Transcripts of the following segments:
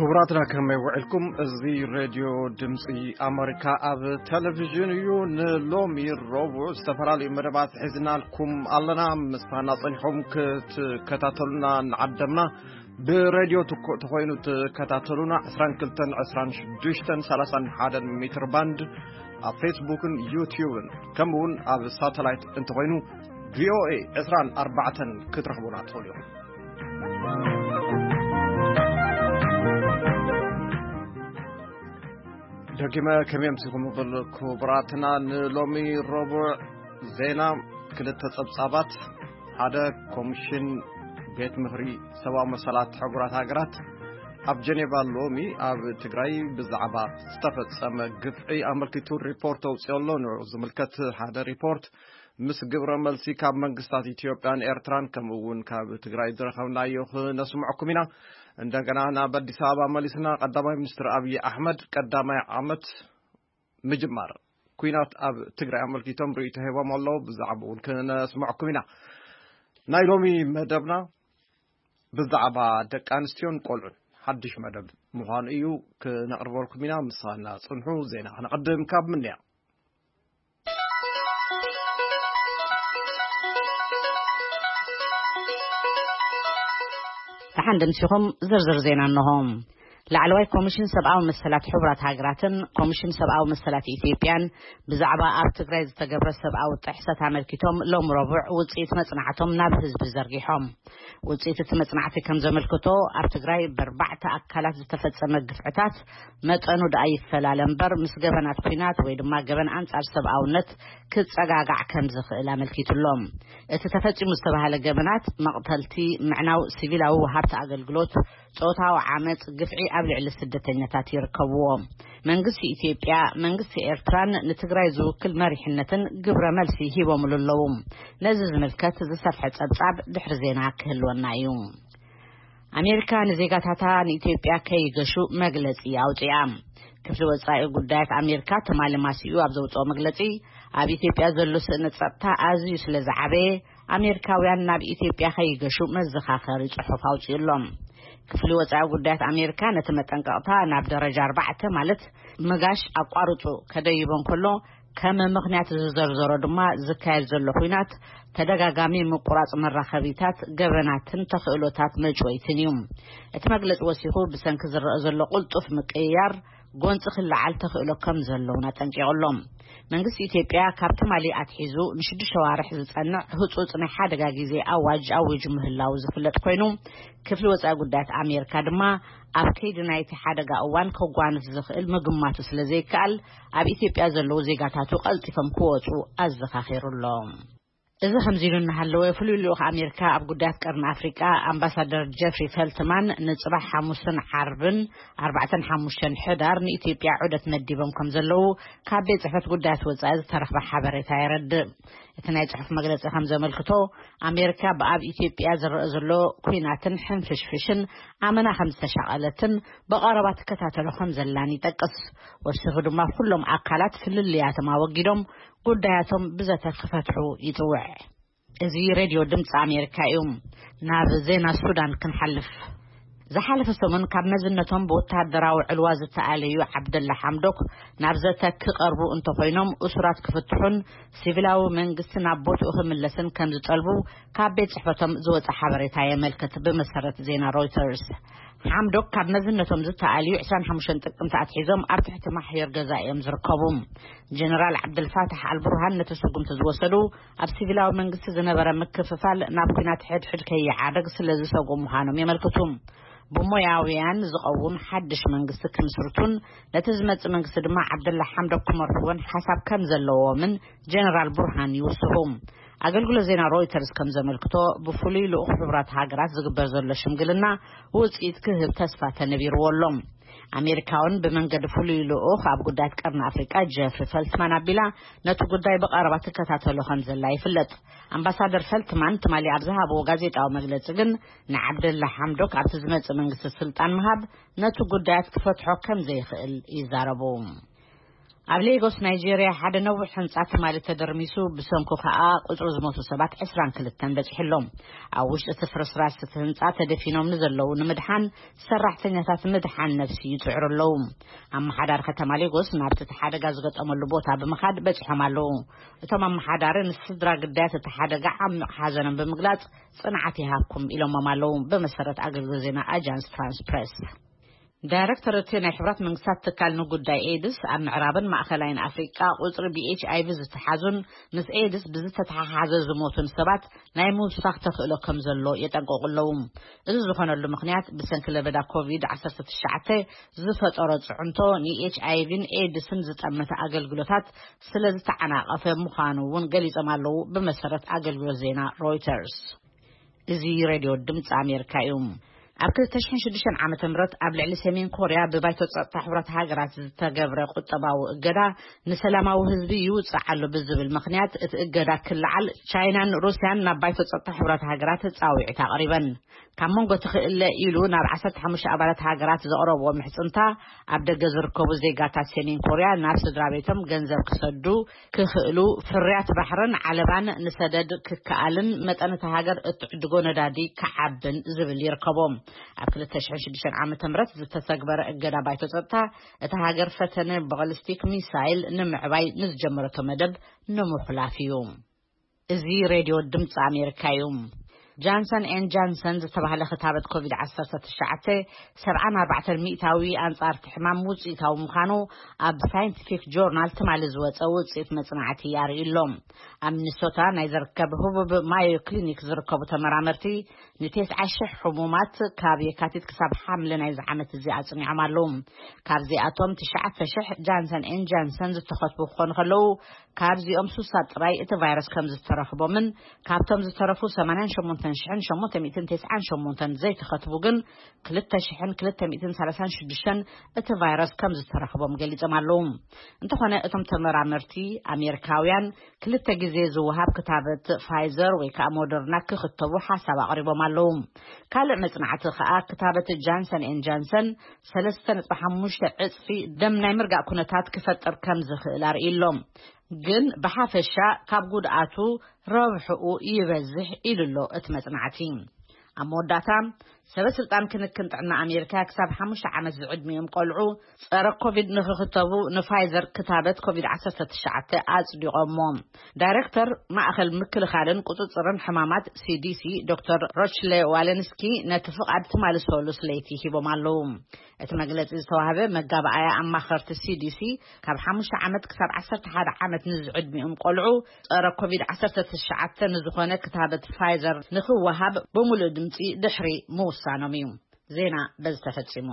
ክቡራትና፣ ከመይ ውዕልኩም? እዚ ሬድዮ ድምፂ ኣመሪካ ኣብ ቴሌቪዥን እዩ። ንሎሚ ረቡዕ ዝተፈላለዩ መደባት ሒዝናልኩም ኣለና። ምሳና ጸኒሖም ክትከታተሉና ንዓደምና። ብሬድዮ ትኮ-፣ ተኾይኑ ትከታተሉና ዕስራን ክልተን፣ ዕስራን ሽዱሽተን፣ ሰላሳን ሓደን ሜትር ባንድ፣ ኣብ ፌስቡክን ዩቲዩብን፣ ከምኡ እውን ኣብ ሳተላይት እንተኾይኑ ቪኦኤ ዕስራን ኣርባዕተን ክትረኽቡና ትኽእሉ ኢኹም። ደጊመ ከመይ ኣምሲኹም ክብል፣ ክቡራትና፣ ንሎሚ ረቡዕ ዜና ክልተ ጸብጻባት። ሓደ፣ ኮሚሽን ቤት ምኽሪ ሰብኣዊ መሰላት ሕቡራት ሃገራት ኣብ ጀኔቫ ሎሚ ኣብ ትግራይ ብዛዕባ ዝተፈጸመ ግፍዒ ኣመልኪቱ ሪፖርት ኣውጺኡ ኣሎ። ንዕኡ ዝምልከት ሓደ ሪፖርት ምስ ግብረ መልሲ ካብ መንግስታት ኢትዮጵያን ኤርትራን ከምኡ እውን ካብ ትግራይ ዝረኸብናዮ ክነስምዐኩም ኢና። እንደገና ናብ ኣዲስ ኣበባ መሊስና፣ ቀዳማይ ሚኒስትር ኣብይ ኣሕመድ ቀዳማይ ዓመት ምጅማር ኲናት ኣብ ትግራይ ኣመልኪቶም ርእይቶ ሂቦም ኣለዉ። ብዛዕባ እውን ክነስምዐኩም ኢና። ናይ ሎሚ መደብና ብዛዕባ ደቂ ኣንስትዮን ቆልዑን ሓድሽ መደብ ምዃኑ እዩ፣ ክነቕርበልኩም ኢና። ምሳና ጽንሑ። ዜና ክነቐድም ካብ ምንያ። ደሓን ደምሲኹም ዝርዝር ዜና እንሆ። ላዕለዋይ ኮሚሽን ሰብኣዊ መሰላት ሕቡራት ሃገራትን ኮሚሽን ሰብኣዊ መሰላት ኢትዮጵያን ብዛዕባ ኣብ ትግራይ ዝተገብረ ሰብኣዊ ጥሕሰት ኣመልኪቶም ሎም ረቡዕ ውፅኢት መፅናዕቶም ናብ ህዝቢ ዘርጊሖም። ውፅኢት እቲ መፅናዕቲ ከም ዘመልክቶ፣ ኣብ ትግራይ ብኣርባዕተ ኣካላት ዝተፈጸመ ግፍዕታት መጠኑ ደኣ ይፈላለ እምበር፣ ምስ ገበናት ኲናት ወይ ድማ ገበን ኣንጻር ሰብኣውነት ክጸጋጋዕ ከም ዝኽእል ኣመልኪቱሎም። እቲ ተፈጺሙ ዝተባህለ ገበናት መቕተልቲ፣ ምዕናው ሲቪላዊ ወሃብቲ ኣገልግሎት፣ ጾታዊ ዓመጽ፣ ግፍዒ ኣብ ልዕሊ ስደተኛታት ይርከብዎ። መንግስቲ ኢትዮጵያ፣ መንግስቲ ኤርትራን ንትግራይ ዝውክል መሪሕነትን ግብረ መልሲ ሂቦምሉ ኣለዉ። ነዚ ዝምልከት ዝሰፍሐ ጸብጻብ ድሕሪ ዜና ክህልወና እዩ። ኣሜሪካ ንዜጋታታ ንኢትዮጵያ ከይገሹ መግለጺ ኣውጺኣ። ክፍሊ ወጻኢ ጉዳያት ኣሜሪካ ትማሊ ማሲኡ ኣብ ዘውጽኦ መግለጺ፣ ኣብ ኢትዮጵያ ዘሎ ስእነት ጸጥታ ኣዝዩ ስለ ዝዓበየ፣ ኣሜሪካውያን ናብ ኢትዮጵያ ከይገሹ መዘኻኸሪ ጽሑፍ ኣውጺኡ ኣሎ። ክፍሊ ወጻኢ ጉዳያት ኣሜሪካ ነቲ መጠንቀቕታ ናብ ደረጃ ኣርባዕተ፣ ማለት ምጋሽ ኣቋርጹ፣ ከደይቦ እንከሎ፣ ከም ምኽንያት ዝዘርዘሮ ድማ ዝካየድ ዘሎ ኲናት፣ ተደጋጋሚ ምቁራጽ መራኸቢታት፣ ገበናትን ተኽእሎታት መጭወይትን እዩ። እቲ መግለጺ ወሲኹ፣ ብሰንኪ ዝረአ ዘሎ ቅልጡፍ ምቅይያር፣ ጎንጺ ክለዓል ተኽእሎ ከም ዘለውን ኣጠንቂቑ ኣሎ። መንግስቲ ኢትዮጵያ ካብ ትማሊ ኣትሒዙ ንሽዱሽተ ኣዋርሕ ዝጸንዕ ህጹጽ ናይ ሓደጋ ግዜ ኣዋጅ ኣዊጁ ምህላው ዝፍለጥ ኮይኑ፣ ክፍሊ ወጻኢ ጉዳያት ኣሜሪካ ድማ ኣብ ከይዲ ናይቲ ሓደጋ እዋን ከጓንፍ ዝኽእል ምግማቱ ስለ ዘይከኣል፣ ኣብ ኢትዮጵያ ዘለዉ ዜጋታቱ ቀልጢፎም ክወጹ ኣዘኻኺሩ ኣሎ። እዚ ከምዚ ኢሉ እናሃለወ፣ ፍሉይ ልኡኽ ኣሜሪካ ኣብ ጉዳያት ቀርኒ ኣፍሪቃ ኣምባሳደር ጀፍሪ ፈልትማን ንጽባሕ ሓሙስን ዓርብን ኣርባዕተን ሓሙሽተን ሕዳር ንኢትዮጵያ ዑደት መዲቦም ከም ዘለዉ ካብ ቤት ጽሕፈት ጉዳያት ወጻኢ ዝተረኽበ ሓበሬታ የረድእ። እቲ ናይ ጽሑፍ መግለጺ ከም ዘመልክቶ፣ ኣሜሪካ ብኣብ ኢትዮጵያ ዝረአ ዘሎ ኲናትን ሕንፍሽፍሽን ኣመና ከም ዝተሻቐለትን ብቐረባ ትከታተሎ ከም ዘላን ይጠቅስ። ወሲኹ ድማ፣ ኩሎም ኣካላት ፍልልያቶም ኣወጊዶም ጉዳያቶም ብዘተ ክፈትሑ ይጽውዕ። እዚ ሬድዮ ድምፂ ኣሜሪካ እዩ። ናብ ዜና ሱዳን ክንሓልፍ። ዝሓለፈ ሰሙን ካብ መዝነቶም ብወተሃደራዊ ዕልዋ ዝተኣለዩ ዓብደላ ሓምዶክ ናብ ዘተ ክቐርቡ እንተኾይኖም፣ እሱራት ክፍትሑን ሲቪላዊ መንግስቲ ናብ ቦትኡ ክምለስን ከም ዝጠልቡ ካብ ቤት ጽሕፈቶም ዝወጸ ሓበሬታ የመልክት። ብመሰረት ዜና ሮይተርስ፣ ሓምዶክ ካብ መዝነቶም ዝተኣልዩ ዕስራን ሓሙሽተን ጥቅምቲ ኣትሒዞም ኣብ ትሕቲ ማሕዮር ገዛ እዮም ዝርከቡ። ጀነራል ዓብደልፋታሕ ኣልቡርሃን ነቲ ስጉምቲ ዝወሰዱ፣ ኣብ ሲቪላዊ መንግስቲ ዝነበረ ምክፍፋል ናብ ኲናት ሕድሕድ ከይዓርግ ስለ ዝሰግኡ ምዃኖም የመልክቱ። ብሞያውያን ዝቐውም ሓድሽ መንግስቲ ክምስርቱን ነቲ ዝመጽእ መንግስቲ ድማ ዓብደላ ሓምዶክ ክመርሕዎን ሓሳብ ከም ዘለዎምን ጀነራል ቡርሃን ይውስኹ። ኣገልግሎት ዜና ሮይተርስ ከም ዘመልክቶ፣ ብፍሉይ ልኡኽ ሕቡራት ሃገራት ዝግበር ዘሎ ሽምግልና ውጽኢት ክህብ ተስፋ ተነቢርዎ ኣሎ። ኣሜሪካ እውን ብመንገዲ ፍሉይ ልኡኽ ኣብ ጉዳያት ቀርኒ ኣፍሪቃ ጀፍሪ ፈልትማን ኣቢላ ነቲ ጉዳይ ብቐረባ ትከታተሎ ከም ዘላ ይፍለጥ። ኣምባሳደር ፈልትማን ትማሊ ኣብ ዝሃብዎ ጋዜጣዊ መግለጺ ግን፣ ንዓብደላ ሓምዶክ ኣብቲ ዝመጽእ መንግስቲ ስልጣን ምሃብ ነቲ ጉዳያት ክፈትሖ ከም ዘይኽእል ይዛረቡ። ኣብ ሌጎስ ናይጄርያ ሓደ ነዊሕ ህንጻ ትማሊ ተደርሚሱ፣ ብሰንኩ ከኣ ቁጽሪ ዝሞቱ ሰባት ዕስራን ክልተን በጺሑ ኣሎ። ኣብ ውሽጢ እቲ ፍርስራስ እቲ ህንጻ ተደፊኖም ንዘለዉ ንምድሓን ሰራሕተኛታት ምድሓን ነፍሲ ይጽዕሩ ኣለዉ። ኣመሓዳሪ ከተማ ሌጎስ ናብቲ እቲ ሓደጋ ዝገጠመሉ ቦታ ብምኻድ በጺሖም ኣለዉ። እቶም ኣመሓዳሪ ንስድራ ግዳያት እቲ ሓደጋ ዓሚቕ ሓዘኖም ብምግላጽ፣ ጽንዓት ይሃብኩም ኢሎሞም ኣለዉ፣ ብመሰረት ኣገልግሎት ዜና ኣጃንስ ፍራንስ ፕሬስ። ዳይሬክተር እቲ ናይ ሕብራት መንግስታት ትካል ንጉዳይ ኤድስ ኣብ ምዕራብን ማእኸላይን ኣፍሪቃ ቁጽሪ ብኤች ኣይ ቪ ዝተሓዙን ምስ ኤድስ ብዝተተሓሓዘ ዝሞቱን ሰባት ናይ ምውሳኽ ተኽእሎ ከም ዘሎ የጠንቀቑ ኣለዉ። እዚ ዝኾነሉ ምኽንያት ብሰንኪ ለበዳ ኮቪድ ዓሰርተ ትሽዓተ ዝፈጠሮ ጽዕንቶ ንኤች ኣይ ቪን ኤድስን ዝጠመተ ኣገልግሎታት ስለ ዝተዓናቐፈ ምዃኑ እውን ገሊጾም ኣለዉ፣ ብመሰረት ኣገልግሎት ዜና ሮይተርስ። እዚ ሬድዮ ድምፂ ኣሜሪካ እዩ። ኣብ ክልተ ሽሕን ሽዱሽተን ዓመተ ምህረት ኣብ ልዕሊ ሰሜን ኮርያ ብባይቶ ጸጥታ ሕቡራት ሃገራት ዝተገብረ ቁጠባዊ እገዳ ንሰላማዊ ህዝቢ ይውጽእ ኣሎ ብዝብል ምኽንያት እቲ እገዳ ክለዓል ቻይናን ሩስያን ናብ ባይቶ ጸጥታ ሕቡራት ሃገራት ጻውዒት ኣቕሪበን። ካብ መንጎ ትኽእለ ኢሉ ናብ ዓሰርተ ሓሙሽተ ኣባላት ሃገራት ዘቕረብዎ ምሕጽንታ፣ ኣብ ደገ ዝርከቡ ዜጋታት ሰሜን ኮርያ ናብ ስድራ ቤቶም ገንዘብ ክሰዱ ክኽእሉ፣ ፍርያት ባሕርን ዓለባን ንሰደድ ክከኣልን መጠን እታ ሃገር እትዕድጎ ነዳዲ ክዓብን ዝብል ይርከቦ። ኣብ ክልተ ሽሕን ሽዱሽተን ዓመተ ምህረት ዝተተግበረ እገዳ ባይቶ ጸጥታ፣ እታ ሃገር ፈተነ ባሊስቲክ ሚሳይል ንምዕባይ ንዝጀመረቶ መደብ ንምኹላፍ እዩ። እዚ ሬድዮ ድምፂ ኣሜሪካ እዩ። ጃንሰን ኤን ጃንሰን ዝተባህለ ክታበት ኮቪድ ዓሰርተ ትሽዓተ ሰብዓን ኣርባዕተን ሚእታዊ ኣንጻር እቲ ሕማም ውፅኢታዊ ምዃኑ ኣብ ሳይንቲፊክ ጆርናል ትማሊ ዝወፀ ውፅኢት መፅናዕቲ ኣርእዩ ኣሎ። ኣብ ሚኒሶታ ናይ ዝርከብ ህቡብ ማዮ ክሊኒክ ዝርከቡ ተመራመርቲ ንተስዓ ሽሕ ሕሙማት ካብ የካቲት ክሳብ ሓምለ ናይዚ ዓመት እዚ ኣፅኒዖም ኣለዉ። ካብዚኣቶም ትሽዓተ ሽሕ ጃንሰን ኤን ጃንሰን ዝተኸትቡ ክኾኑ ከለዉ፣ ካብዚኦም ሱሳ ጥራይ እቲ ቫይረስ ከም ዝተረኽቦምን ካብቶም ዝተረፉ ሰማንያን ሸሞንተን ሽሕን ሸሞንተ ሚእትን ተስዓን ሸሞንተን ዘይተኸትቡ ግን ክልተ ሽሕን ክልተ ሚእትን ሰላሳን ሽዱሽተን እቲ ቫይረስ ከም ዝተረኽቦም ገሊጾም ኣለዉ። እንተኾነ እቶም ተመራመርቲ ኣሜሪካውያን ክልተ ግዜ ዝወሃብ ክታበት ፋይዘር ወይ ከዓ ሞደርና ክኽተቡ ሓሳብ ኣቕሪቦም ኣለዉ። ካልእ መጽናዕቲ ከዓ ክታበት ጃንሰን ኤን ጃንሰን ሰለስተ ነጥቢ ሓሙሽተ ዕጽፊ ደም ናይ ምርጋእ ኩነታት ክፈጥር ከም ዝኽእል ኣርእዩ ኣሎ። ግን ብሓፈሻ ካብ ጉድኣቱ ረብሕኡ ይበዝሕ ኢሉ ኣሎ እቲ መጽናዕቲ። ኣብ መወዳእታ፣ ሰበ ስልጣን ክንክን ጥዕና ኣሜሪካ ክሳብ ሓሙሽተ ዓመት ዝዕድሚኦም ቆልዑ ጸረ ኮቪድ ንኽኽተቡ ንፋይዘር ክታበት ኮቪድ ዓሰርተ ትሽዓተ ኣጽዲቖሞ። ዳይሬክተር ማእኸል ምክልኻልን ቁጽጽርን ሕማማት ሲ ዲ ሲ ዶክተር ሮችለ ዋለንስኪ ነቲ ፍቓድ ትማሊ ሰሉስ ለይቲ ሂቦም ኣለዉ። እቲ መግለጺ ዝተዋህበ መጋባኣያ ኣማኸርቲ ሲ ዲ ሲ ካብ ሓሙሽተ ዓመት ክሳብ ዓሰርተ ሓደ ዓመት ንዝዕድሚኦም ቆልዑ ጸረ ኮቪድ ዓሰርተ ትሽዓተ ንዝኾነ ክታበት ፋይዘር ንኽወሃብ ብምሉእ ድምጺ ድሕሪ ምውሳኖም እዩ። ዜና በዚ ተፈጺሙ።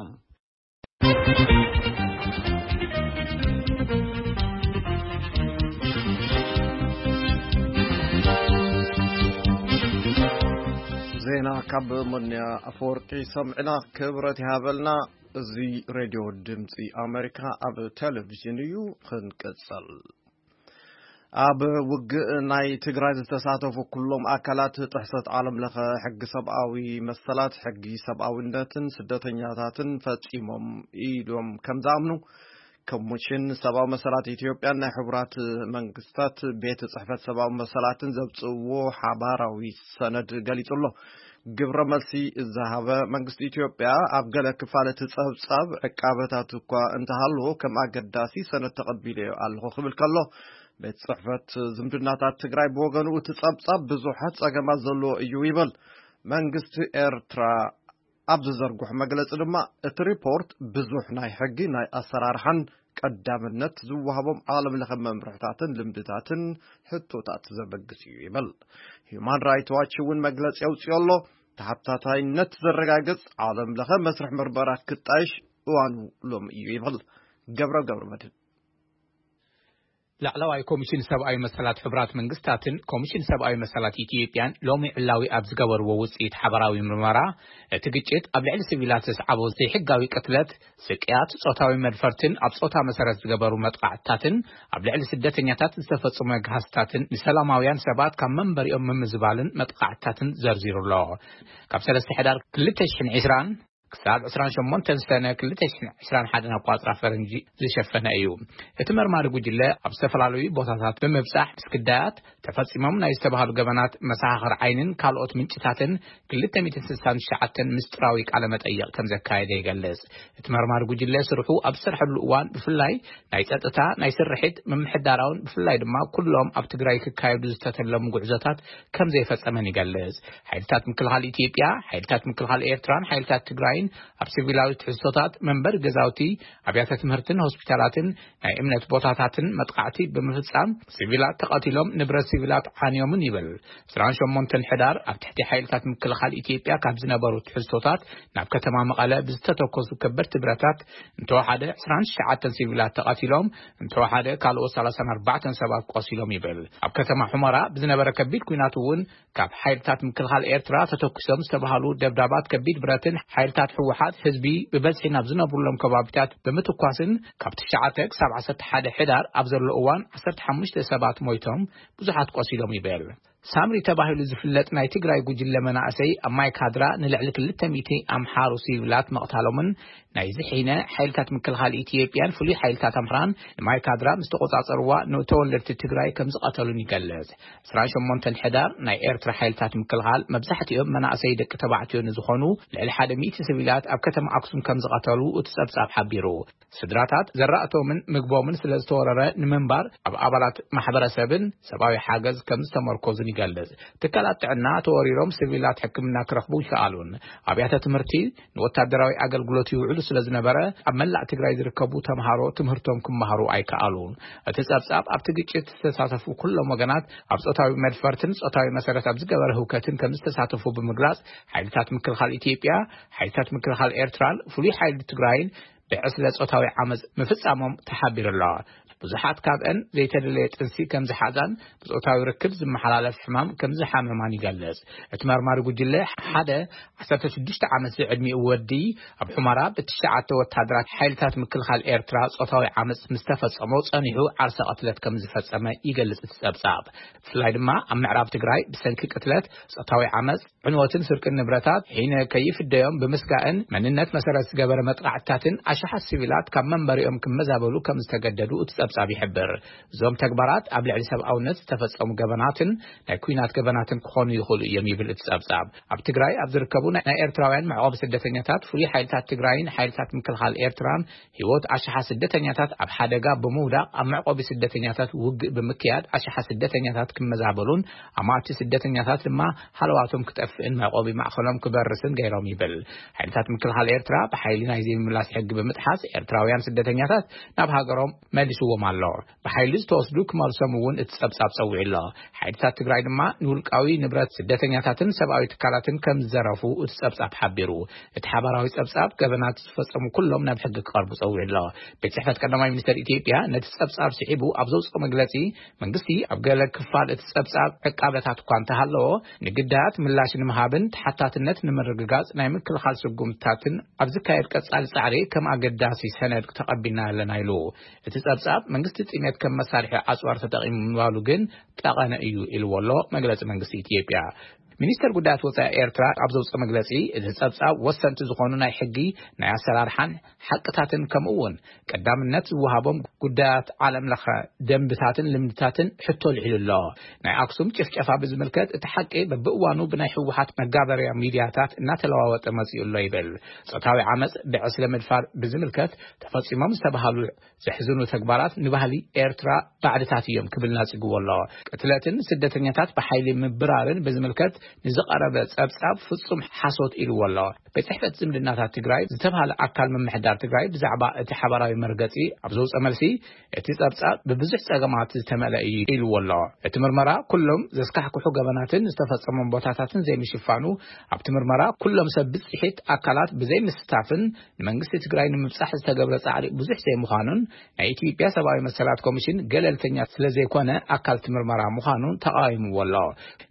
ዜና ካብ ሞንያ ኣፈወርቂ ሰምዕና፣ ክብረት ይሃበልና። እዚ ሬድዮ ድምፂ ኣሜሪካ ኣብ ቴሌቪዥን እዩ። ክንቅፅል። ኣብ ውግእ ናይ ትግራይ ዝተሳተፉ ኩሎም ኣካላት ጥሕሰት ዓለም ለኸ ሕጊ ሰብኣዊ መሰላት፣ ሕጊ ሰብኣዊነትን ስደተኛታትን ፈጺሞም ኢሎም ከም ዝኣምኑ ኮሚሽን ሰብኣዊ መሰላት ኢትዮጵያን ናይ ሕቡራት መንግስታት ቤት ጽሕፈት ሰብኣዊ መሰላትን ዘብጽእዎ ሓባራዊ ሰነድ ገሊጹ ኣሎ። ግብረ መልሲ ዝሃበ መንግስቲ ኢትዮጵያ፣ ኣብ ገለ ክፋል እቲ ጸብጻብ ዕቃበታት እኳ እንተሃለዎ፣ ከም ኣገዳሲ ሰነድ ተቐቢለዮ ኣለኹ ክብል ከሎ፣ ቤት ጽሕፈት ዝምድናታት ትግራይ ብወገኑ፣ እቲ ጸብጻብ ብዙሓት ጸገማት ዘለዎ እዩ ይብል። መንግስቲ ኤርትራ ኣብ ዝዘርግሖ መግለጺ ድማ፣ እቲ ሪፖርት ብዙሕ ናይ ሕጊ፣ ናይ ኣሰራርሓን ቀዳምነት ዝወሃቦም ዓለም ለኸ መምርሕታትን ልምድታትን ሕቶታት ዘበግስ እዩ ይብል። ሂዩማን ራይት ዋች እውን መግለጺ ኣውጺኡ ኣሎ። ተሓታታይነት ዘረጋግጽ ዓለም ለኸ መስርሕ ምርመራ ክጣይሽ እዋኑ ሎሚ እዩ ይብል። ገብረ ገብረ መድህን። ላዕለዋይ ኮሚሽን ሰብኣዊ መሰላት ሕቡራት መንግስታትን ኮሚሽን ሰብኣዊ መሰላት ኢትዮጵያን ሎሚ ዕላዊ ኣብ ዝገበርዎ ውፅኢት ሓባራዊ ምርመራ፣ እቲ ግጭት ኣብ ልዕሊ ሲቪላት ዘስዓቦ ዘይሕጋዊ ቅትለት፣ ስቅያት፣ ጾታዊ መድፈርትን ኣብ ጾታ መሰረት ዝገበሩ መጥቃዕትታትን፣ ኣብ ልዕሊ ስደተኛታት ዝተፈጸሙ መግሃስታትን ንሰላማውያን ሰባት ካብ መንበሪኦም ምምዝባልን መጥቃዕትታትን ዘርዚሩ ኣሎ። ካብ ሰለስተ ሕዳር ክልተ ሽሕን ዕስራን ክሳብ ዕስራን ሸሞንተን ሰነ ክልተ ሽሕን ዕስራን ሓደን ኣቋጽራ ፈረንጂ ዝሸፈነ እዩ። እቲ መርማሪ ጉጅለ ኣብ ዝተፈላለዩ ቦታታት ብምብጻሕ ምስ ግዳያት ተፈጺሞም ናይ ዝተባህሉ ገበናት መሰኻኽር ዓይንን ካልኦት ምንጭታትን ክልተ ሚእትን ስሳን ትሽዓተን ምስጢራዊ ቃለ መጠይቕ ከም ዘካየደ ይገልጽ። እቲ መርማሪ ጉጅለ ስርሑ ኣብ ዝሰርሐሉ እዋን ብፍላይ ናይ ጸጥታ፣ ናይ ስርሒት፣ ምምሕዳራውን ብፍላይ ድማ ኩሎም ኣብ ትግራይ ክካየዱ ዝተተለሙ ጉዕዞታት ከም ዘይፈጸመን ይገልጽ። ሓይልታት ምክልኻል ኢትዮጵያ፣ ሓይልታት ምክልኻል ኤርትራን ሓይልታት ትግራይን ኣብ ሲቪላዊ ትሕዝቶታት መንበሪ ገዛውቲ፣ ኣብያተ ትምህርትን ሆስፒታላትን ናይ እምነት ቦታታትን መጥቃዕቲ ብምፍጻም ሲቪላት ተቐቲሎም፣ ንብረት ሲቪላት ዓንዮምን ይብል። ዕስራን ሸሞንተን ሕዳር ኣብ ትሕቲ ሓይልታት ምክልኻል ኢትዮጵያ ካብ ዝነበሩ ትሕዝቶታት ናብ ከተማ መቐለ ብዝተተኮሱ ከበድቲ ብረታት እንተወሓደ ዕስራን ትሽዓተን ሲቪላት ተቐቲሎም፣ እንተወሓደ ካልኦት ሰላሳን ኣርባዕተን ሰባት ቆሲሎም ይብል። ኣብ ከተማ ሑመራ ብዝነበረ ከቢድ ኲናት እውን ካብ ሓይልታት ምክልኻል ኤርትራ ተተኩሶም ዝተባህሉ ደብዳባት ከቢድ ብረትን ሓይልታት ህወሓት ህዝቢ ብበዝሒ ናብ ዝነብሩሎም ከባቢታት ብምትኳስን ካብ ትሽዓተ ክሳብ ዓሰርተ ሓደ ሕዳር ኣብ ዘሎ እዋን ዓሰርተ ሓሙሽተ ሰባት ሞይቶም፣ ብዙሓት ቆሲሎም ይብል። ሳምሪ ተባሂሉ ዝፍለጥ ናይ ትግራይ ጉጅለ መናእሰይ ኣብ ማይ ካድራ ንልዕሊ ክልተ ሚእቲ ኣምሓሩ ሲቪላት መቕታሎምን ናይ ዝሒነ ሓይልታት ምክልኻል ኢትዮጵያን ፍሉይ ሓይልታት ኣምሓራን ንማይ ካድራ ምስ ተቆጻጸርዋ ንተወለድቲ ትግራይ ከም ዝቐተሉን ይገልጽ። ዕስራን ሸሞንተን ሕዳር ናይ ኤርትራ ሓይልታት ምክልኻል መብዛሕትኦም መናእሰይ ደቂ ተባዕትዮ ንዝኾኑ ልዕሊ ሓደ ሚእቲ ሲቪላት ኣብ ከተማ ኣክሱም ከም ዝቐተሉ እቲ ጸብጻብ ሓቢሩ። ስድራታት ዘራእቶምን ምግቦምን ስለ ዝተወረረ ንምንባር ኣብ ኣባላት ማሕበረሰብን ሰብኣዊ ሓገዝ ከም ዝተመርኮዙን ይገልጽ። ትካላት ጥዕና ተወሪሮም ሲቪላት ሕክምና ክረኽቡ ይከኣሉን ኣብያተ ትምህርቲ ንወታደራዊ ኣገልግሎት ይውዕሉ ስለ ዝነበረ ኣብ መላእ ትግራይ ዝርከቡ ተምሃሮ ትምህርቶም ክመሃሩ ኣይከኣሉን። እቲ ጸብጻብ ኣብቲ ግጭት ዝተሳተፉ ኩሎም ወገናት ኣብ ጾታዊ መድፈርትን ጾታዊ መሰረት ኣብ ዝገበረ ህውከትን ከም ዝተሳተፉ ብምግላጽ ሓይልታት ምክልኻል ኢትዮጵያ፣ ሓይልታት ምክልኻል ኤርትራን ፍሉይ ሓይሊ ትግራይን ብዕስለ ጾታዊ ዓመጽ ምፍጻሞም ተሓቢሩ ኣሎ። ብዙሓት ካብአን ዘይተደለየ ጥንሲ ከም ዝሓዛን ብጾታዊ ርክብ ዝመሓላለፍ ሕማም ከም ዝሓመማን ይገልጽ። እቲ መርማሪ ጉጅለ ሓደ ዓሰርተ ሽዱሽተ ዓመት ዝዕድሚኡ ወዲ ኣብ ሑመራ ብትሽዓተ ወታደራት ሓይልታት ምክልኻል ኤርትራ ጾታዊ ዓመጽ ምስ ተፈጸሞ ጸኒሑ ዓርሰ ቅትለት ከም ዝፈጸመ ይገልጽ እቲ ጸብጻብ። ብፍላይ ድማ ኣብ ምዕራብ ትግራይ ብሰንኪ ቅትለት፣ ጾታዊ ዓመጽ፣ ዕንወትን ስርቅን ንብረታት ሒነ ከይፍደዮም ብምስጋእን መንነት መሰረት ዝገበረ መጥቃዕትታትን ኣሽሓት ሲቪላት ካብ መንበሪኦም ክመዛበሉ ከም ዝተገደዱ እቲ ጸብጻብ ይሕብር። እዞም ተግባራት ኣብ ልዕሊ ሰብኣውነት ዝተፈጸሙ ገበናትን ናይ ኲናት ገበናትን ክኾኑ ይኽእሉ እዮም ይብል እቲ ጸብጻብ። ኣብ ትግራይ ኣብ ዝርከቡ ናይ ኤርትራውያን መዕቆቢ ስደተኛታት ፍሉይ ሓይልታት ትግራይን ሓይልታት ምክልኻል ኤርትራን ህይወት ኣሽሓት ስደተኛታት ኣብ ሓደጋ ብምውዳቕ ኣብ መዕቆቢ ስደተኛታት ውግእ ብምክያድ ኣሽሓት ስደተኛታት ክመዛበሉን ኣማእቲ ስደተኛታት ድማ ሃለዋቶም ክጠፍእን መዕቆቢ ማእኸሎም ክበርስን ገይሮም ይብል። ሓይልታት ምክልኻል ኤርትራ ብሓይሊ ናይ ዘይምምላስ ሕጊ ብምጥሓስ ኤርትራውያን ስደተኛታት ናብ ሃገሮም መሊስዎም ኣሎ። ብሓይሊ ዝተወስዱ ክመልሶም እውን እቲ ጸብጻብ ጸዊዑ ኣሎ። ሓይልታት ትግራይ ድማ ንውልቃዊ ንብረት ስደተኛታትን ሰብኣዊ ትካላትን ከም ዝዘረፉ እቲ ጸብጻብ ሓቢሩ። እቲ ሓባራዊ ጸብጻብ ገበናት ዝፈጸሙ ኩሎም ናብ ሕጊ ክቐርቡ ጸዊዑ ኣሎ። ቤት ጽሕፈት ቀዳማይ ሚኒስተር ኢትዮጵያ ነቲ ጸብጻብ ስዒቡ ኣብ ዘውጽኦ መግለጺ መንግስቲ ኣብ ገለ ክፋል እቲ ጸብጻብ ዕቃበታት እኳ እንተሃለዎ ንግዳያት ምላሽ ንምሃብን ተሓታትነት ንምርግጋጽ ናይ ምክልኻል ስጉምትታትን ኣብ ዝካየድ ቀጻሊ ጻዕሪ ከም ኣገዳሲ ሰነድ ተቐቢልና ኣለና ኢሉ። እቲ ጸብጻብ መንግስቲ ጥሜት ከም መሳርሒ ኣጽዋር ተጠቒሙ ምባሉ ግን ጠቐነ እዩ ኢልዎ ኣሎ መግለጺ መንግስቲ ኢትዮጵያ። ሚኒስተር ጉዳያት ወጻኢ ኤርትራ ኣብ ዘውጽኦ መግለጺ እቲ ጸብጻብ ወሰንቲ ዝኾኑ ናይ ሕጊ ናይ ኣሰራርሓን ሓቅታትን ከምኡ እውን ቀዳምነት ዝወሃቦም ጉዳያት ዓለም ለኸ ደንብታትን ልምድታትን ሕቶ ልዒሉ ኣሎ። ናይ ኣክሱም ጭፍጨፋ ብዝምልከት እቲ ሓቂ በብእዋኑ ብናይ ህወሓት መጋበርያ ሚድያታት እናተለዋወጠ መጺኡ ኣሎ ይብል። ጾታዊ ዓመጽ ብዕስለ ምድፋር ብዝምልከት ተፈጺሞም ዝተባሃሉ ዘሕዝኑ ተግባራት ንባህሊ ኤርትራ ባዕድታት እዮም ክብል ናጺግዎ ኣሎ። ቅትለትን ስደተኛታት ብሓይሊ ምብራርን ብዝምልከት ንዝቐረበ ጸብጻብ ፍጹም ሓሶት ኢልዎ ኣሎ። ቤት ጽሕፈት ዝምድናታት ትግራይ ዝተባሃለ ኣካል ምምሕዳር ትግራይ ብዛዕባ እቲ ሓባራዊ መርገጺ ኣብ ዘውፀ መልሲ እቲ ጸብጻብ ብብዙሕ ጸገማት ዝተመልአ እዩ ኢልዎ ኣሎ። እቲ ምርመራ ኩሎም ዘስካሕክሑ ገበናትን ዝተፈጸሞም ቦታታትን ዘይምሽፋኑ ኣብቲ ምርመራ ኩሎም ሰብ ብጽሒት ኣካላት ብዘይምስታፍን ንመንግስቲ ትግራይ ንምብጻሕ ዝተገብረ ጻዕሪ ብዙሕ ዘይምዃኑን ናይ ኢትዮጵያ ሰብኣዊ መሰላት ኮሚሽን ገለልተኛ ስለ ዘይኮነ ኣካል እቲ ምርመራ ምዃኑን ተቓዊምዎ ኣሎ።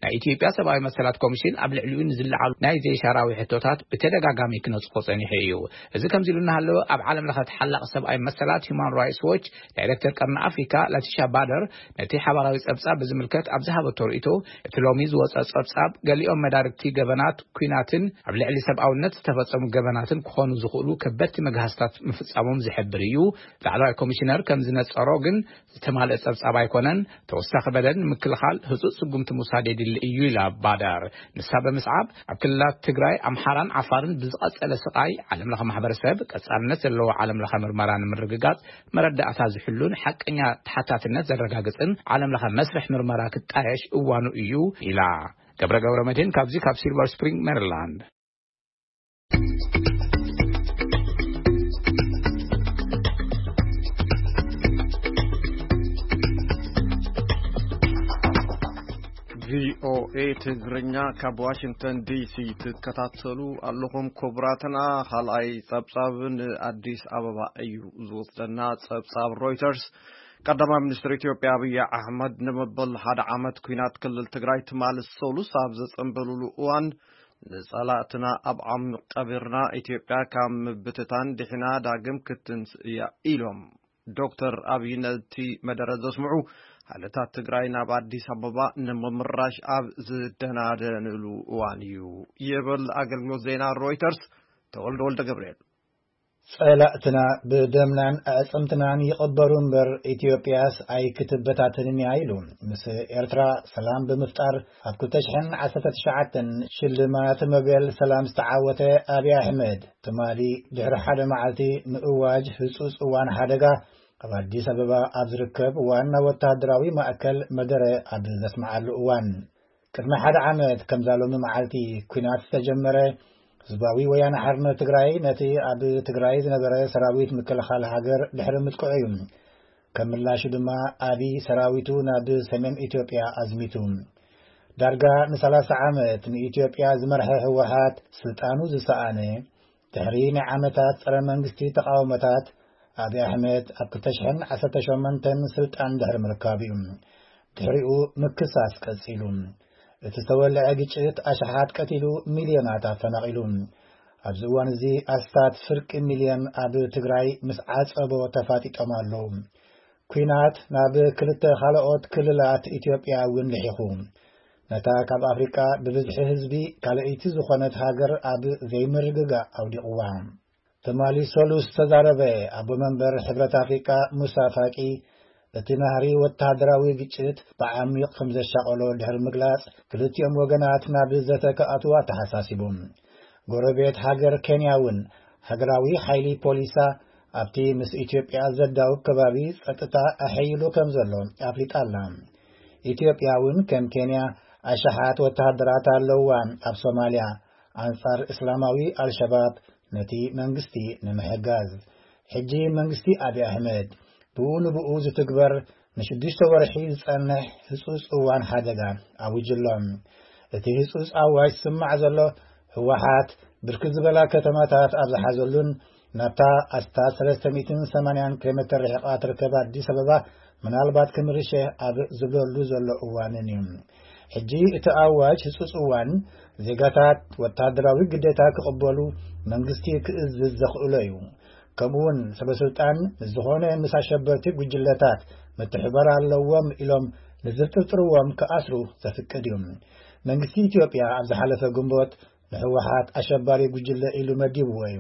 ናይ ኢትዮጵያ ሰብኣዊ መሰላት መሰላት ኮሚሽን ኣብ ልዕሊኡ ንዝለዓሉ ናይ ዘይሻራዊ ሕቶታት ብተደጋጋሚ ክነጽፎ ጸኒሑ እዩ። እዚ ከምዚ ኢሉ እናሃለወ፣ ኣብ ዓለም ለኸ ተሓላቒ ሰብኣዊ መሰላት ሁማን ራይትስ ዎች ዳይሬክተር ቀርኒ ኣፍሪካ ላቲሻ ባደር ነቲ ሓባራዊ ጸብጻብ ብዝምልከት ኣብ ዝሃበቶ ርእይቶ፣ እቲ ሎሚ ዝወጸ ጸብጻብ ገሊኦም መዳርግቲ ገበናት ኲናትን ኣብ ልዕሊ ሰብኣውነት ዝተፈጸሙ ገበናትን ክኾኑ ዝኽእሉ ከበድቲ መግሃስታት ምፍጻሞም ዝሕብር እዩ። ላዕለዋይ ኮሚሽነር ከም ዝነጸሮ ግን ዝተማልአ ጸብጻብ ኣይኮነን። ተወሳኺ በደል ንምክልኻል ህጹጽ ስጉምቲ ምውሳድ የድሊ እዩ ኢላ ባዳር። ንሳ ብምስዓብ፣ ኣብ ክልላት ትግራይ፣ ኣምሓራን ዓፋርን ብዝቐጸለ ስቓይ፣ ዓለም ለኸ ማሕበረሰብ ቀጻልነት ዘለዎ ዓለም ለኸ ምርመራ ንምርግጋጽ መረዳእታ ዝሕሉን ሓቀኛ ተሓታትነት ዘረጋግጽን ዓለም ለኸ መስርሕ ምርመራ ክጣየሽ እዋኑ እዩ ኢላ። ገብረ ገብረ መድህን ካብዚ ካብ ሲልቨር ስፕሪንግ ሜሪላንድ። ቪኦኤ ትግርኛ ካብ ዋሽንግተን ዲሲ ትከታተሉ ኣለኹም። ክቡራትና፣ ካልኣይ ጸብጻብ ንኣዲስ ኣበባ እዩ ዝወስደና። ጸብጻብ ሮይተርስ፣ ቀዳማይ ሚኒስትር ኢትዮጵያ ኣብይ ኣሕመድ ንመበል ሓደ ዓመት ኲናት ክልል ትግራይ ትማሊ ሰሉስ ኣብ ዘጸንበሉሉ እዋን፣ "ንጸላእትና ኣብ ዓሚቕ ቀቢርና፣ ኢትዮጵያ ካብ ምብትታን ድሒና ዳግም ክትንስ እያ" ኢሎም። ዶክተር ኣብይ ነቲ መደረ ዘስምዑ፣ ሓይልታት ትግራይ ናብ ኣዲስ ኣበባ ንምምራሽ ኣብ ዝደናደንሉ እዋን እዩ ይብል ኣገልግሎት ዜና ሮይተርስ። ተወልደ ወልደ ገብርኤል። "ጸላእትና ብደምናን ኣዕጽምትናን ይቕበሩ እምበር፣ ኢትዮጵያስ ኣይክትበታተንን እያ" ኢሉ። ምስ ኤርትራ ሰላም ብምፍጣር ኣብ ክልተ ሽሕን ዓሰርተ ትሽዓተን ሽልማት ኖቤል ሰላም ዝተዓወተ ኣብይ ኣሕመድ፣ ትማሊ ድሕሪ ሓደ መዓልቲ ምእዋጅ ህጹጽ እዋን ሓደጋ፣ ኣብ ኣዲስ ኣበባ ኣብ ዝርከብ ዋና ወተሃደራዊ ማእከል መደረ ኣብ ዘስምዓሉ እዋን፣ "ቅድሚ ሓደ ዓመት ከምዛ ሎሚ መዓልቲ ኲናት ዝተጀመረ፣ ህዝባዊ ወያነ ሓርነት ትግራይ ነቲ ኣብ ትግራይ ዝነበረ ሰራዊት ምክልኻል ሃገር ድሕሪ ምጥቅዑ እዩ። ከም ምላሹ ድማ ኣብይ ሰራዊቱ ናብ ሰሜን ኢትዮጵያ ኣዝሚቱ። ዳርጋ ንሰላሳ ዓመት ንኢትዮጵያ ዝመርሐ ህወሓት ስልጣኑ ዝሰኣነ፣ ድሕሪ ናይ ዓመታት ጸረ መንግስቲ ተቓውሞታት፣ ኣብይ ኣሕመድ ኣብ ክልተ ሽሕን ዓሰርተ ሸሞንተን ስልጣን ድሕሪ ምርካቡ እዩ። ድሕሪኡ ምክሳስ ቀጺሉ። እቲ ዝተወልዐ ግጭት ኣሽሓት ቀቲሉ፣ ሚልዮናት ኣፈናቒሉ። ኣብዚ እዋን እዚ ኣስታት ፍርቂ ሚልዮን ኣብ ትግራይ ምስ ዓጸቦ ተፋጢጦም ኣለዉ። ኲናት ናብ ክልተ ካልኦት ክልላት ኢትዮጵያ እውን ልሒኹ። ነታ ካብ ኣፍሪቃ ብብዝሒ ህዝቢ ካልኣይቲ ዝኾነት ሃገር ኣብ ዘይምርግጋእ ኣውዲቕዋ። ትማሊ ሰሉስ ዝተዛረበ ኣቦ መንበር ሕብረት ኣፍሪቃ ሙሳ ፋቂ፣ እቲ ናህሪ ወተሃደራዊ ግጭት ብዓሚቕ ከም ዘሻቐሎ ድሕሪ ምግላጽ፣ ክልቲኦም ወገናት ናብ ዘተ ክኣትዉ ኣተሓሳሲቡ። ጎረቤት ሃገር ኬንያ እውን ሃገራዊ ሓይሊ ፖሊሳ ኣብቲ ምስ ኢትዮጵያ ዘዳውብ ከባቢ ጸጥታ ኣሐይሉ ከም ዘሎ ኣፍሊጣ ኣላ። ኢትዮጵያ እውን ከም ኬንያ ኣሽሓት ወተሃደራት ኣለውዋ ኣብ ሶማልያ፣ ኣንጻር እስላማዊ ኣልሸባብ፣ ነቲ መንግስቲ ንምሕጋዝ። ሕጂ መንግስቲ ኣብይ ኣሕመድ ብኡ ንብኡ ዝትግበር ንሽዱሽተ ወርሒ ዝጸንሕ ህጹጽ እዋን ሓደጋ ኣዊጁ ኣሎ። እቲ ህጹጽ ኣዋጅ ዝስማዕ ዘሎ፣ ህወሓት ብርክት ዝበላ ከተማታት ኣብ ዝሓዘሉን ናብታ ኣስታት ሰለስተ ሚእትን ሰማንያን ኪሎ ሜተር ርሒቓ ትርከብ ኣዲስ ኣበባ ምናልባት ክምርሸ ኣብ ዝብለሉ ዘሎ እዋንን እዩ። ሕጂ እቲ ኣዋጅ ህጹጽ እዋን፣ ዜጋታት ወተሃደራዊ ግዴታ ክቕበሉ መንግስቲ ክእዝዝ ዘኽእሎ እዩ። ከምኡውን ሰበ ስልጣን ምስ ዝኾነ ምስ ኣሸበርቲ ጉጅለታት ምትሕባር ኣለዎም ኢሎም ንዝጥርጥርዎም ክኣስሩ ዘፍቅድ እዩ። መንግስቲ ኢትዮጵያ ኣብ ዝሓለፈ ግንቦት ንህወሓት ኣሸባሪ ጉጅለ ኢሉ መዲብዎ እዩ።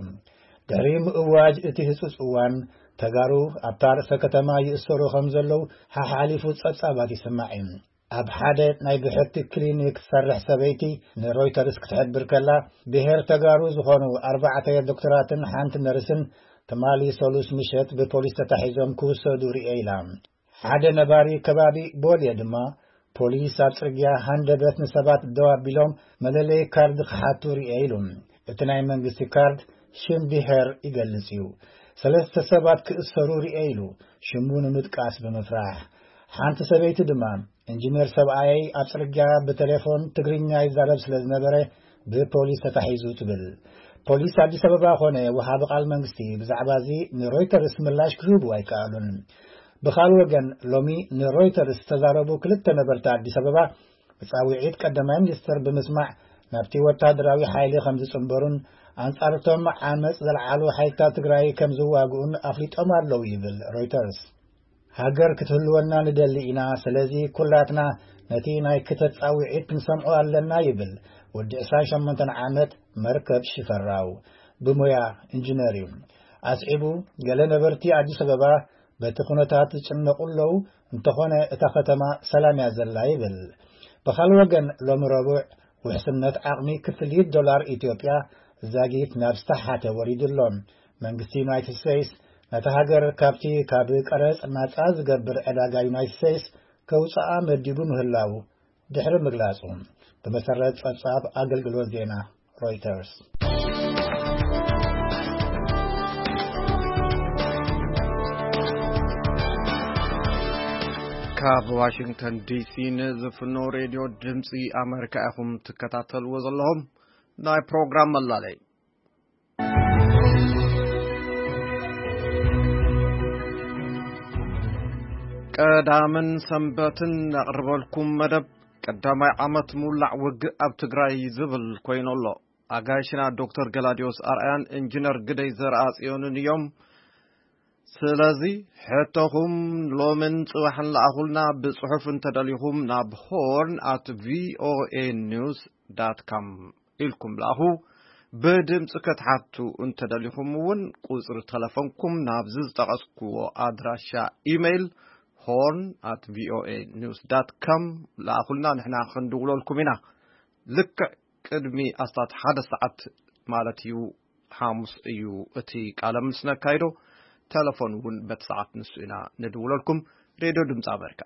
ድሕሪ ምእዋጅ እቲ ህጹጽ እዋን፣ ተጋሩ ኣብታ ርእሰ ከተማ ይእሰሩ ከም ዘለዉ ሓሓሊፉ ጸብጻባት ይስማዕ እዩ። ኣብ ሓደ ናይ ብሕቲ ክሊኒክ ትሰርሕ ሰበይቲ ንሮይተርስ ክትሕብር ከላ፣ ብሄር ተጋሩ ዝኾኑ ኣርባዕተ ዶክተራትን ሓንቲ ነርስን ትማሊ ሰሉስ ምሸት ብፖሊስ ተታሒዞም ክውሰዱ ርእየ ኢላ። ሓደ ነባሪ ከባቢ ቦልየ ድማ፣ ፖሊስ ኣብ ጽርግያ ሃንደበት ንሰባት ደው ኣቢሎም መለለዪ ካርድ ክሓቱ ርእየ ኢሉ። እቲ ናይ መንግስቲ ካርድ ሽም ብሄር ይገልጽ እዩ። ሰለስተ ሰባት ክእሰሩ ርእየ ኢሉ፣ ሽሙ ንምጥቃስ ብምፍራሕ። ሓንቲ ሰበይቲ ድማ፣ "ኢንጂነር ሰብኣየይ ኣብ ጽርግያ ብቴሌፎን ትግርኛ ይዛረብ ስለ ዝነበረ ብፖሊስ ተታሒዙ" ትብል። ፖሊስ ኣዲስ ኣበባ ኾነ ወሃቢ ቃል መንግስቲ ብዛዕባ እዚ ንሮይተርስ ምላሽ ክህቡ ኣይከኣሉን። ብኻል ወገን፣ ሎሚ ንሮይተርስ ዝተዛረቡ ክልተ ነበርቲ ኣዲስ ኣበባ፣ ንጻውዒት ቀዳማይ ሚኒስትር ብምስማዕ ናብቲ ወታደራዊ ሓይሊ ከም ዝጽንበሩን ኣንጻርቶም ዓመጽ ዘልዓሉ ሓይልታት ትግራይ ከም ዝዋግኡን ኣፍሊጦም ኣለዉ ይብል ሮይተርስ። ሃገር ክትህልወና ንደሊ ኢና፣ ስለዚ ኩላትና ነቲ ናይ ክተት ጻውዒት ክንሰምዖ ኣለና ይብል ወዲ ዕስራን ሸሞንተን ዓመት መርከብ ሽፈራው። ብሞያ ኢንጂነር እዩ። ኣስዒቡ፣ ገለ ነበርቲ ኣዲስ ኣበባ በቲ ኩነታት ዝጭነቑ ኣለዉ፣ እንተኾነ እታ ከተማ ሰላም እያ ዘላ ይብል። ብኻልእ ወገን፣ ሎሚ ረቡዕ ውሕስነት ዓቕሚ ክፍሊት ዶላር ኢትዮጵያ ዛጊት ናብ ዝተሓተ ወሪዱ ኣሎ። መንግስቲ ዩናይትድ ስቴትስ ነታ ሃገር ካብቲ ካብ ቀረጽ ናጻ ዝገብር ዕዳጋ ዩናይትድ ስቴትስ ከውጽኣ መዲቡ ምህላዉ ድሕሪ ምግላጹ፣ ብመሰረት ጸብጻብ ኣገልግሎት ዜና ሮይተርስ። ካብ ዋሽንግተን ዲሲ ንዝፍኖ ሬድዮ ድምፂ ኣመሪካ ኢኹም ትከታተልዎ ዘለኹም። ናይ ፕሮግራም መላለይ ቀዳምን ሰንበትን ነቕርበልኩም መደብ ቀዳማይ ዓመት ምውላዕ ውግእ ኣብ ትግራይ ዝብል ኮይኑ ኣሎ። ኣጋይሽና ዶክተር ገላዲዮስ ኣርኣያን ኢንጂነር ግደይ ዘርኣጽዮንን እዮም። ስለዚ ሕቶኹም ሎምን ጽባሕን ለኣኹልና። ብጽሑፍ እንተደሊኹም ናብ ሆርን ኣት ቪኦኤ ኒውስ ዳት ካም ኢልኩም ለኣኹ። ብድምፂ ክትሓቱ እንተደሊኹም እውን ቁፅሪ ተለፎንኩም ናብዚ ዝጠቐስኩዎ ኣድራሻ ኢሜይል ሆርን ኣት ቪኦኤ ኒውስ ዳት ካም ለኣኹልና፣ ንሕና ክንድውለልኩም ኢና። ልክዕ ቅድሚ ኣስታት ሓደ ሰዓት ማለት እዩ፣ ሓሙስ እዩ እቲ ቃለ ምልልስ ነካይዶ። ተለፎን እውን በቲ ሰዓት ንሱ ኢና ንድውለልኩም። ሬድዮ ድምፂ ኣሜሪካ።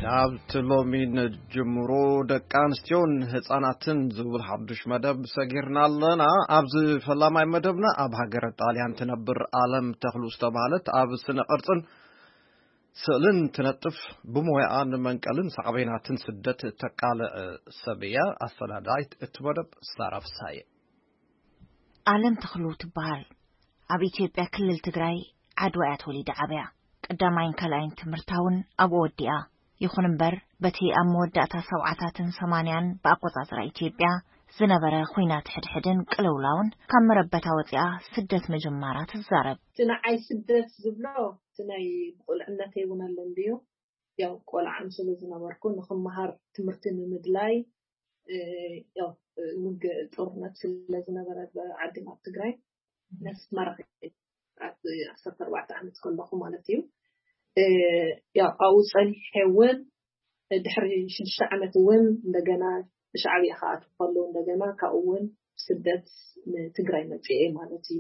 ናብቲ ሎሚ ንጅምሮ፣ ደቂ ኣንስትዮን ህፃናትን ዝብል ሓዱሽ መደብ ሰጊርና ኣለና። ኣብዚ ፈላማይ መደብና ኣብ ሃገረ ጣልያን ትነብር ኣለም ተኽሉ ዝተባህለት ኣብ ስነ ቅርፅን ስእልን ትነጥፍ፣ ብሞያኣ ንመንቀልን ሳዕቤናትን ስደት ተቃልዕ ሰብ እያ። ኣሰናዳይት እቲ መደብ ሳራ ፍሳየ። ኣለም ተኽሉ ትበሃል። ኣብ ኢትዮጵያ ክልል ትግራይ ዓድዋ እያ ተወሊዳ ዓብያ። ቀዳማይን ካልኣይን ትምህርታ እውን ኣብኡ ወዲኣ። ይኹን እምበር፣ በቲ ኣብ መወዳእታ ሰብዓታትን ሰማንያን ብኣቆጻጽራ ኢትዮጵያ ዝነበረ ኹናት ሕድሕድን ቅልውላውን ካብ መረበታ ወጺኣ ስደት ምጅማራ ትዛረብ። እቲ ንዓይ ስደት ዝብሎ፣ እቲ ናይ ብቁልዕነተይ እውን ኣሎ እንድዩ። ያው ቆልዓ ስለ ዝነበርኩ፣ ንኽመሃር ትምህርቲ ንምድላይ፣ እ፣ ያው፣ እ፣ ውግእ ጦርነት ስለ ዝነበረ ብዓድና ኣብ ትግራይ፣ ነስመራ ከይደ፣ ኣብ ዓሰርተ ኣርባዕተ ዓመት ከለኹ ማለት እዩ። እ፣ ያው ኣብኡ ጸኒሐ እውን ድሕሪ ሽዱሽተ ዓመት እውን እንደገና ብሻዕብያ ክኣቱ ከለዉ እንደገና ካብኡ እውን ስደት ንትግራይ መጽኤ ማለት እዩ።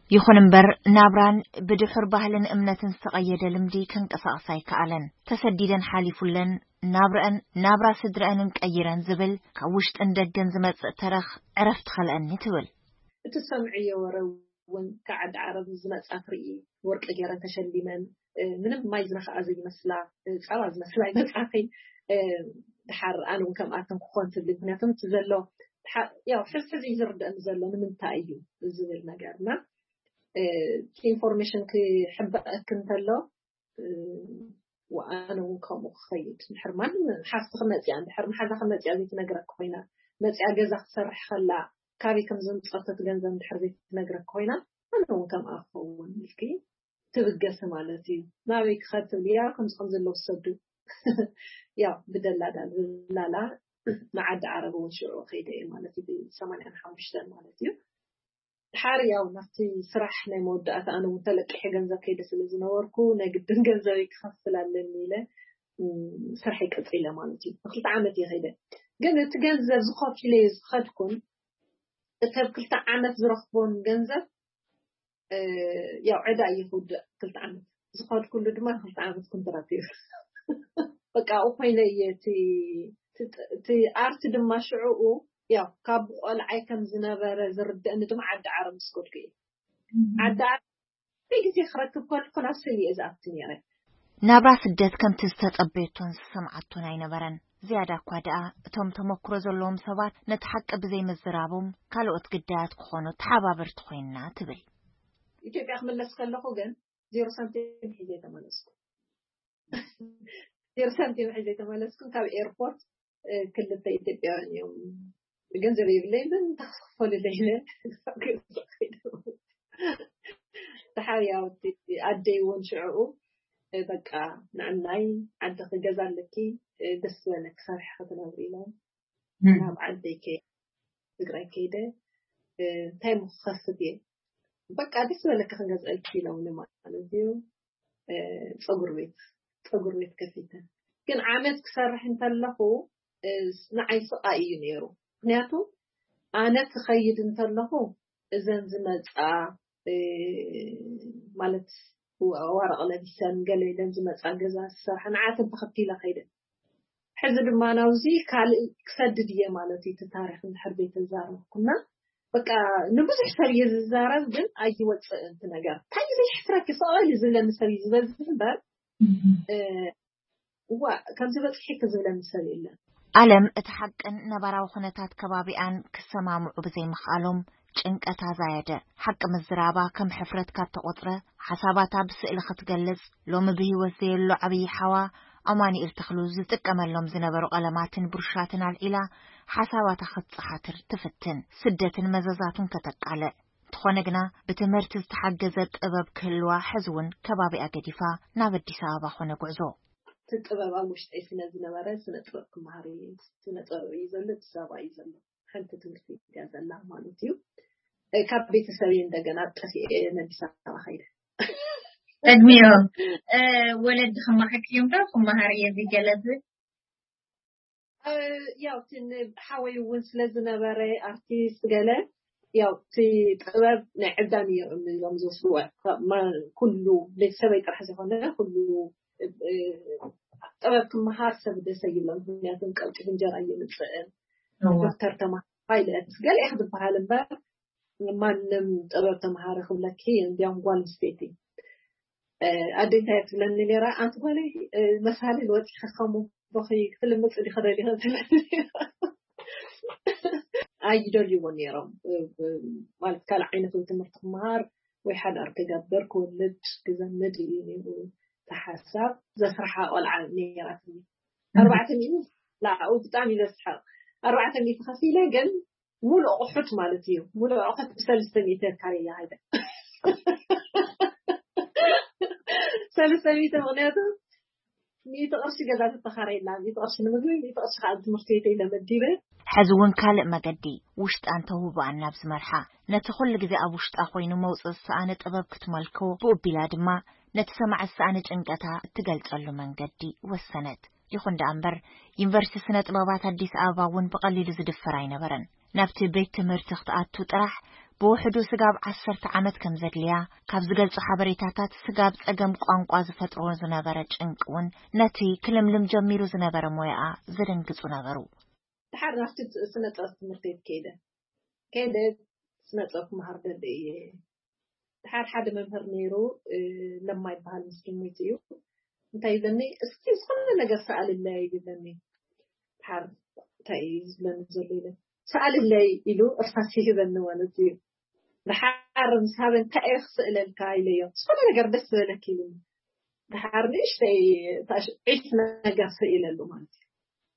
ይኹን እምበር፣ ናብራን ብድሑር ባህልን እምነትን ዝተቐየደ ልምዲ ከንቀሳቕሳ ኣይከኣለን። ተሰዲደን ሓሊፉለን ናብረአን፣ ናብራ ስድረአንን ቀይረን ዝብል ካብ ውሽጥን ደገን ዝመጽእ ተረኽ ዕረፍቲ ከልአኒ ትብል። እቲ ሰምዕዮ ወረ እውን ካብ ዓዲ ዓረብ ዝመጻ ትርኢ፣ ወርቂ ገይረን ተሸሊመን፣ እ፣ ምንም ማይ ዝነኽኣ ዘይመስላ፣ እ፣ ጻባ ዝመስላ ይመጻኺ። እ፣ ድሓር ኣነ እውን ከምኣተን ክኾን ትብሊ። ምክንያቱ እቲ ዘሎ ድሓር፣ ያው፣ ሕዚ ሕዚ እዩ ዝርደእኒ ዘሎ ንምንታይ እዩ ዝብል ነገር። እና፣ እ፣ እቲ ኢንፎርሜሽን ክሕበአክ እንተሎ፣ እ፣ ወኣነ እውን ከምኡ ክኸይድ። እንድሕር ማንም ሓፍቲ ክመጽያ፣ እንድሕር መሓዛ ክመጽያ ዘይትነግረክ ኮይና፣ መጽያ ገዛ ክትሰርሕ ከላ፣ ካበይ ከም ዘምጸቶ እቲ ገንዘብ እንድሕር ዘይትነግረክ ኮይና፣ ኣነ እውን ከምኣ ክኸውን ኢልኪ ትብገሲ ማለት እዩ። ናበይ ክኸድ ትብልያ፣ ከምዚ ከም ዘሎ ውሰዱ። ያው ብደላላ፣ ደላላ ንዓዲ ዓረብ እውን ሽዑ ከይደ እየ ማለት እዩ፣ ብሰማንያን ሓሙሽተን ማለት እዩ። ድሓር ያው ናብቲ ስራሕ ናይ መወዳእታ ኣነ እውን ተለቂሐ ገንዘብ ከይደ ስለ ዝነበርኩ፣ ናይ ግድን ገንዘበይ ክኸፍል ኣለኒ ኢለ፣ እም፣ ስራሐይ ቀጺለ ማለት እዩ። ንክልተ ዓመት እየ ከይደ። ግን እቲ ገንዘብ ዝኸፍለ ዝኸድኩን፣ እቲ ኣብ ክልተ ዓመት ዝረኽቦን ገንዘብ፣ እ፣ ያው ዕዳ እዩ ክውድእ ክልተ ዓመት። ዝኸድኩሉ ድማ ክልተ ዓመት ኮንትራት እዩ። በቃ ኣብኡ ኮይነ እየ እቲ፣ እቲ፣ እቲ ኣርት ድማ ሽዕኡ፣ ያው ካብ ቆልዓይ ከም ዝነበረ ዝርደእኒ ድማ ዓዲ ዓረብ ምስ ከድኩ እዩ። ዓዲ ዓረብ ግዜ ክረክብ ከለኹ ናብ ስእሊ እየ ዝኣቱ ነይረ። ናብራ ስደት ከምቲ ዝተጸበየቶን ዝሰምዓቶን ኣይነበረን። ዝያዳ እኳ ደኣ እቶም ተመክሮ ዘለዎም ሰባት ነቲ ሓቂ ብዘይምዝራቦም ካልኦት ግዳያት ክኾኑ ተሓባበርቲ ኮይንና ትብል። ኢትዮጵያ ክምለስ ከለኹ ግን ዜሮ ሳንቲም ሒዘ ተመለስኩ። ዜሮ ሳንቲም ሒዘ ተመለስኩ። ካብ ኤርፖርት ክልተ ኢትዮጵያውያን እዮም፣ ገንዘብ የብለይ፣ ግን ተክፈሉለይ ኢለ። ተሓያውቲ ኣደይ እውን ሽዕኡ በቃ ንዕናይ ዓዲ ክገዛ ኣለኪ፣ ደስ ዝበለኪ ሰሪሕኪ ክትነብሪ ኢሎም ናብ ዓደይ ከ ትግራይ ከይደ። እንታይ ምክኸስብ እየ፣ በቃ ደስ ዝበለኪ ክንገዝአልኪ ኢሎምኒ ማለት እዩ። ፀጉር ቤት፣ ፀጉር ቤት ከፊተ። ግን ዓመት ክሰርሕ እንተለኹ ንዓይ ስቓይ እዩ ነይሩ። ምክንያቱ ኣነ ክኸይድ እንተለኹ እዘን ዝመፃ ማለት ዋረቕ ለቢሰን ገለ ኢለን ዝመፃ ገዛ ዝሰርሓ ንዓተን ተኸቲለ ከይደ። ሕዚ ድማ ናብዚ ካልእ ክሰድድ እየ ማለት እዩ። እቲ ታሪክ እንድሕር ዘይተዛረብኩና በቃ ንብዙሕ ሰብ እየ ዝዛረብ፣ ግን ኣይወፅእን እቲ ነገር። እንታይ እዩ ዘየሕፍረኪ? ስቕ በሊ ዝብለኒ ሰብ እዩ ዝበዝሕ እምበር እዋ ከምዚ በፅሒኪ ዝብለኒ ሰብ የለን። ኣለም እቲ ሓቅን ነባራዊ ኩነታት ከባቢኣን ክሰማምዑ ብዘይምኽኣሎም ጭንቀታ ዛየደ። ሓቂ ምዝራባ ከም ሕፍረት ካብ ተቖጽረ፣ ሓሳባታ ብስእሊ ክትገልጽ፣ ሎሚ ብህይወት ዘየሎ ዓብዪ ሓዋ ኣማኑኤል ተኽሉ ዝጥቀመሎም ዝነበሩ ቀለማትን ብሩሻትን ኣልዒላ ሓሳባታ ክትጸሓትር ትፍትን፣ ስደትን መዘዛቱን ከተቃልዕ። እንተኾነ ግና ብትምህርቲ ዝተሓገዘ ጥበብ ክህልዋ ሕዚ እውን ከባቢኣ ገዲፋ ናብ ኣዲስ ኣበባ ኾነ ጉዕዞ። እቲ ጥበብ ኣብ ውሽጠይ ስለ ዝነበረ ስነ ጥበብ ክመሃር እየ። ስነ ጥበብ እዩ ዘሎ፣ ኣዲስ ኣበባ እዩ ዘሎ። ሓንቲ ትምህርቲ እያ ዘላ ማለት እዩ። ካብ ቤተሰብ እንደገና ጠፊኤ ኣዲስ ኣበባ ከይደ። ቅድሚኦም ወለዲ ክመሓኪ እዮም ዶ ክመሃር እየ ዝገለጽ? ያው ትን ሓወይ እውን ስለ ዝነበረ ኣርቲስት ገለ ያው እቲ ጥበብ ናይ ዕብዳን እዮም እዮም ዝወስድዎ። ኩሉ ቤተሰበይ ጥራሕ ዝኾነ ኩሉ ጥበብ ክመሃር ሰብ ደሰ ይብሎም። ምክንያቱም ቀልጢፉ እንጀራ እየምፅእን ዶክተር ተማሃር ፓይለት ገለ ክትበሃል እምበር ማንም ጥበብ ተምሃረ ክብለኪ እንዲያውም ጓል ኣንስተይቲ ኣደ እንታይ ትብለኒ ነራ? ኣንቲ ጓለይ መሳሊ ወፂኺ ከሙ ቦኺ ክትልምፅ ዲኺ ደሊኺ ትብለኒ። ኣይደልይዎ ነይሮም ማለት ካልእ ዓይነት ወይ ትምህርቲ ክመሃር ወይ ሓዳር ክገብር ክወልድ ክዘምድ እዩ ነይሩ። ተሓሳብ ዘስርሓ ቆልዓ ነይራትኒ። ኣርባዕተ ሚእቲ ላዕኡ ብጣዕሚ ዘስሓቕ ኣርባዕተ ሚእቲ ከፊለ ግን ሙሉእ ኣቑሑት ማለት እዩ። ሙሉእ ኣቑሑት ብሰለስተ ሚእቲ ካርያ ሃይደ ሰለስተ ሚእቲ ምክንያቱ ሚእቲ ቅርሺ ገዛ ተተኻረየላ፣ ሚእቲ ቅርሺ ንምግቢ፣ ሚእቲ ቅርሺ ከዓ ትምህርቲ ቤተይ ለመዲበ። ሕዚ እውን ካልእ መገዲ ውሽጣን ተውህቦኣን ናብ ዝመርሓ፣ ነቲ ኩሉ ግዜ ኣብ ውሽጣ ኮይኑ መውፅእ ዝሰኣነ ጥበብ ክትመልኮ፣ ብኡቢላ ድማ ነቲ ሰማዕ ዝሰኣነ ጭንቀታ እትገልጸሉ መንገዲ ወሰነት። ይኹን ደኣ እምበር ዩኒቨርሲቲ ስነ ጥበባት ኣዲስ ኣበባ እውን ብቐሊሉ ዝድፈር ኣይነበረን። ናብቲ ቤት ትምህርቲ ክትኣቱ ጥራሕ ብውሕዱ ስጋብ ዓሰርተ ዓመት ከም ዘድልያ ካብ ዝገልጹ ሓበሬታታት ስጋብ ጸገም ቋንቋ ዝፈጥሮ ዝነበረ ጭንቂ እውን ነቲ ክልምልም ጀሚሩ ዝነበረ ሞያኣ ዘደንግጹ ነበሩ። ድሓር ናብቲ ስነ ጥበብ ትምህርቲ ቤት ከይደ ከይደ ስነ ጥበብ ክመሃር ደሊ እየ። ድሓር ሓደ መምህር ነይሩ ለማ ይበሃል ምስኪን ሞይቱ እዩ። እንታይ ይብለኒ እስኪ ዝኾነ ነገር ሰኣልለይ ይብለኒ። ድሓር እንታይ እዩ ዝብለኒ ዘሎ ኢለ ሰኣልለይ ኢሉ እርሳስ ይህበኒ ማለት እዩ። ድሓር ምስ ሃበ እንታይ እየ ክስእለልካ ኢለዮ። ዝኾነ ነገር ደስ ዝበለክ ኢሉኒ። ድሓር ንእሽተይ ዒፍ ነገር ስኢለሉ ማለት እዩ።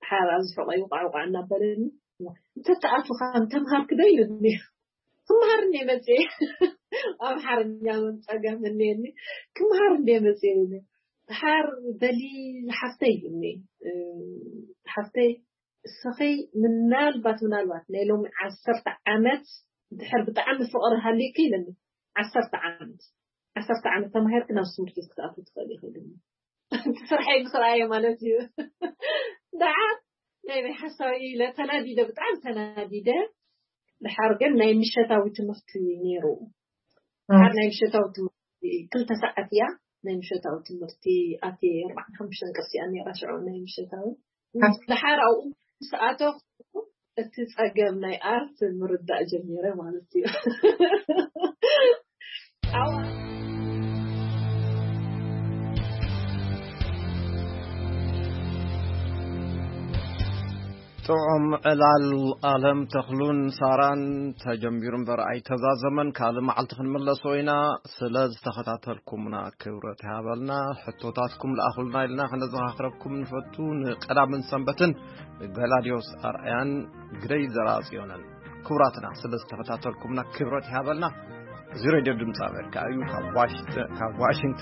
ድሓር ኣብዚ ሕቆይ ውቃዕ ውቃዕ እናበለኒ እንተተኣቱ ከም ተምሃርክ ዶ ኢሉኒ። ክምሃር እንደ መፅየ ኣምሓርኛ እውን ፀገም እኒአኒ። ክምሃር እንደ መፅየ ኢሉኒ። ድሓር በሊ ሓፍተይ ኢሉኒ። ሓፍተይ እስኺ ምናልባት ምናልባት ናይ ሎሚ ዓሰርተ ዓመት ድሕር ብጣዕሚ ፍቕሪ ሃልዩኪ ኢለኒ። ዓሰርተ ዓመት ዓሰርተ ዓመት ተማሂርኪ ናብ ትምህርቲ ክትኣትዊ ትኽእሊ ኢኺ ኢሉኒ። ስርሐይ ምስ ረኣየ ማለት እዩ። ደዓ ናይ ናይ ሓሳዊ ኢለ ተናዲደ፣ ብጣዕሚ ተናዲደ። ድሓር ግን ናይ ምሸታዊ ትምህርቲ ነይሩ። ድሓር ናይ ምሸታዊ ትምህርቲ ክልተ ሰዓት እያ ናይ ምሸታዊ ትምህርቲ ኣትየ ኣርባዕተ ሓሙሽተ ቅርሲ እያ ነይራ ሽዑ ናይ ምሸታዊ። ድሓር ኣብኡ ምስ ኣተኹ እቲ ጸገም ናይ ኣርት ምርዳእ ጀሚረ ማለት እዩ። ኣዋ ጥዑም ዕላል ኣለም ተኽሉን ሳራን ተጀሚሩ እምበር ኣይተዛዘመን። ካልእ መዓልቲ ክንምለሶ ኢና። ስለ ዝተኸታተልኩምና ክብረት ይሃበልና። ሕቶታትኩም ለኣኹልና ኢልና ከነዘኻኽረኩም ንፈቱ። ንቀዳምን ሰንበትን ገላድዮስ ኣርኣያን ግደይ ዘርኣጽዮንን። ክቡራትና፣ ስለ ዝተኸታተልኩምና ክብረት ይሃበልና። እዚ ሬድዮ ድምፂ ኣሜሪካ እዩ። ካብ ዋሽንግተን